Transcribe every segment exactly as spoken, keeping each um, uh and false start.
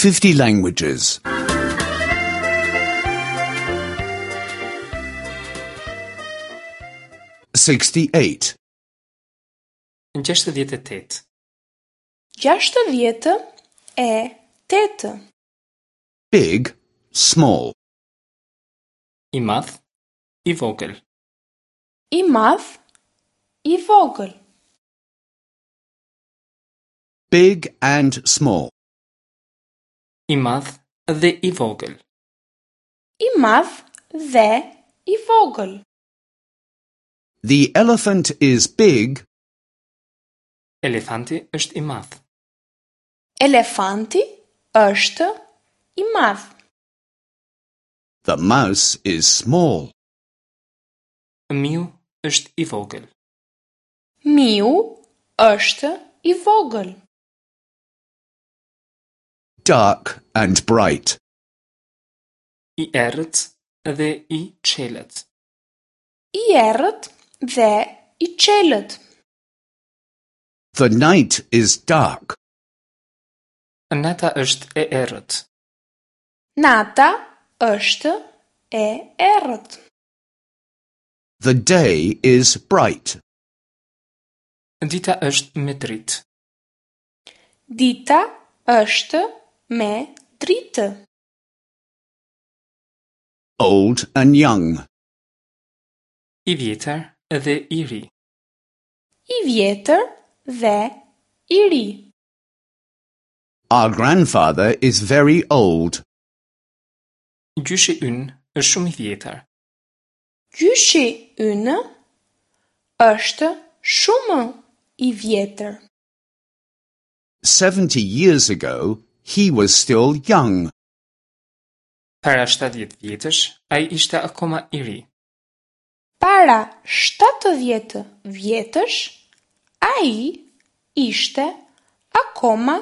fifty languages. sixty-eight. Gjashtëdhjetë e tetë. Gjashtëdhjetë e tetë. Big, small. I madh, i vogël. I madh, i vogël. Big and small. I madh dhe i vogël. I madh dhe i vogël. The elephant is big. Elefanti është i madh. Elefanti është i madh. The mouse is small. Miu është i vogël. Miu është i vogël. Dark and bright. I errët dhe i çelët. I errët dhe i çelët. The night is dark. Nata është e errët. Nata është e errët. The day is bright. Dita është me dritë. Dita është me dritë. Old and young. I vjetër dhe i ri. I vjetër dhe i ri. Our grandfather is very old. Gjyshi ynë është shumë i vjetër. Gjyshi ynë është shumë i vjetër. Seventy years ago, he was still young. Para shtatëdhjetë vjetësh, ai ishte akoma i ri. Para shtatëdhjetë vjetësh, ai ishte akoma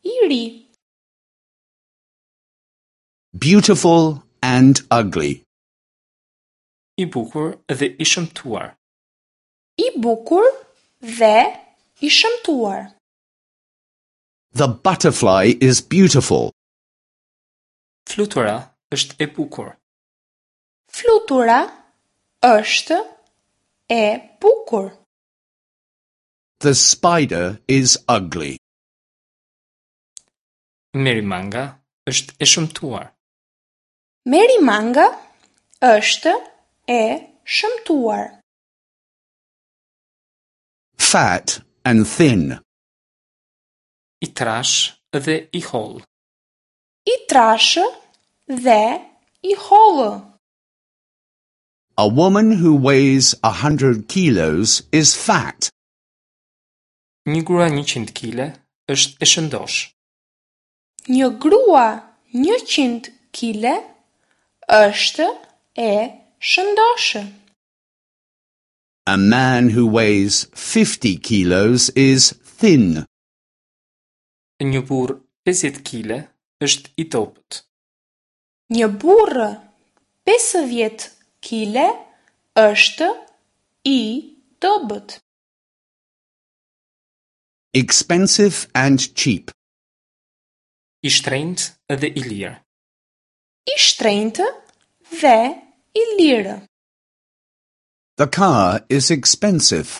i ri. Beautiful and ugly. I bukur dhe i shëmtuar. I bukur dhe i shëmtuar. The butterfly is beautiful. Flutura është e bukur. Flutura është e bukur. The spider is ugly. Merimanga është e shëmtuar. Merimanga është e shëmtuar. Fat and thin. I trash dhe i hollë. I trashë dhe i hollë. A woman who weighs a hundred kilos is fat. Një grua njëqind kile është e shëndosh. Një grua njëqind kile është e shëndoshë. A man who weighs fifty kilos is thin. Një burr pesëdhjetë kile është i dobët. Një burr pesëdhjetë kile është i dobët. Expensive and cheap. I shtrenjtë dhe i lirë. I shtrenjtë dhe i lirë. The car is expensive.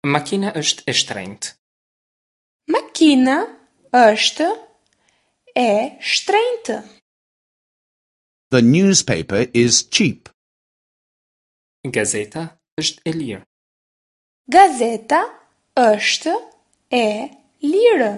Makina është e shtrenjtë. Makina është e shtrenjtë. The newspaper is cheap. Gazeta është e lirë. Gazeta është e lirë.